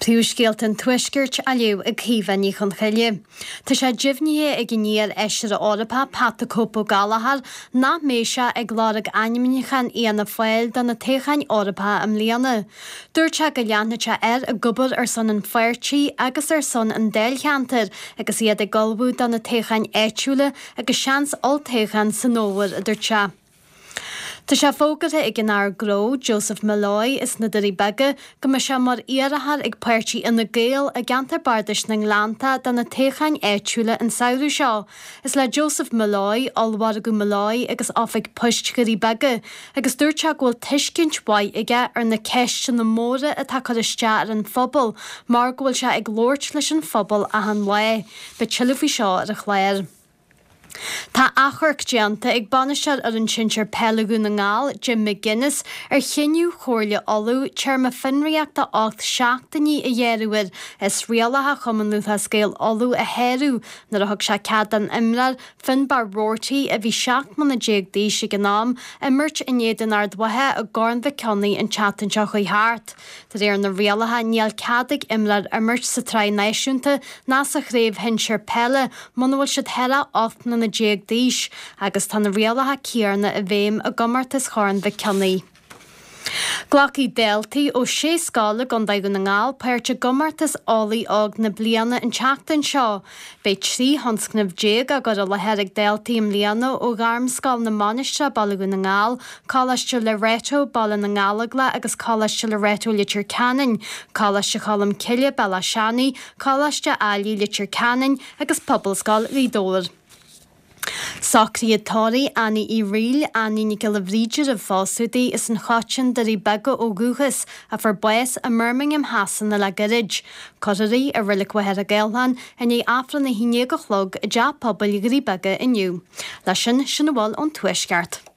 Príomhscéalta an Tuaiscirt á léamh ag Caoimhe Ní Chonchoille. Tá sé deimhnithe ag an iar-fheisire Eorpach Pat 'The Cope' Ó Gallchóir nach mbeidh sé ag lorg ainmniúchán Fhianna Fáil do na toghcháin Eorpacha i mbliana. Dúirt sé go leanfaidh sé air ag obair ar son an pháirtí agus ar son an dáilcheantair agus iad ag ullmhú do na toghcháin áitiúla agus seans olltoghchán san fhómhar, a dúirt sé. Tá sé fógartha ag an Aire Gnó, Joseph Molloy, as na Doirí Beaga, go mbeidh sé mar iarrthóir ag páirtí Fhine Gael i gceantar bardais na nGleannta do na toghcháin áitiúla an samhradh seo. Is le Joseph Molloy, Ollmhargadh Molloy agus Oifig Poist Dhoirí Beaga, agus dúirt sé go bhfuil tuiscint mhaith aige ar na ceisteanna móra atá ag cur isteach ar an phobal mar go bhfuil sé ag labhairt leis an phobal achan lá. Beidh tuilleadh faoi seo ar an chlár. Tá achomharc déanta ag bainisteoir fhoireann sinsir peile Dhún na nGall, Jim McGuinness, ar chinneadh Chomhairle Uladh téarma fionraíochta 8 seachtainí a ghearradh air as rialacha Chumann Lúthchleas Gael Uladh a shárú nuair a thug sé cead don imreoir, Finbarr Roarty, a bhí 17 mbliana d'aois ag an am, imirt in éadan Ard Mhacha i gCorn Mhic Cionnaith an tseachtain seo chuaigh thart. De réir na rialacha, níl cead ag imreoir imirt sa tsraith náisiúnta ná sa chraobh shinsir peile muna bhfuil siad thar 18 mbliana d'aois agus tá na rialacha céanna i bhfeidhm i gcomórtas Chorn Mhic Cionnaith. Glacfaidh daltaí ó shé scoil i gContae Dhún na nGall páirt i gcomórtas Eolaí Óg na Bliana an tseachtain seo. Beidh 13 thionscnamh á gcur i láthair ag daltaí i mbliana ó Ghairmscoil na Mainistreach, Baile Dhún na nGall, Coláiste Loreto, Baile na nGallóglach agus Coláiste Loreto Leitir Ceanainn, Coláiste Cholm Cille, Bealach Seanaidh, Coláiste Ailigh Leitir Ceanainn agus Pobalscoil Ghaoth Dobhair. Socruithe tórraimh Annie Uí Fhrighil, Annie Nic Giolla Bhríde roimh phósadh di, as an Choiteann, Doirí Beaga ó dhúchas, a fuair bás i mBirmingham Shasana le gairid. Cuirfear í i Reilig Mhachaire Gathlán i ndiaidh Aifreann 11 a chlog i dTeach Pobail Dhoirí Beaga inniu. Leis sin, sin a bhfuil ón Tuaisceart.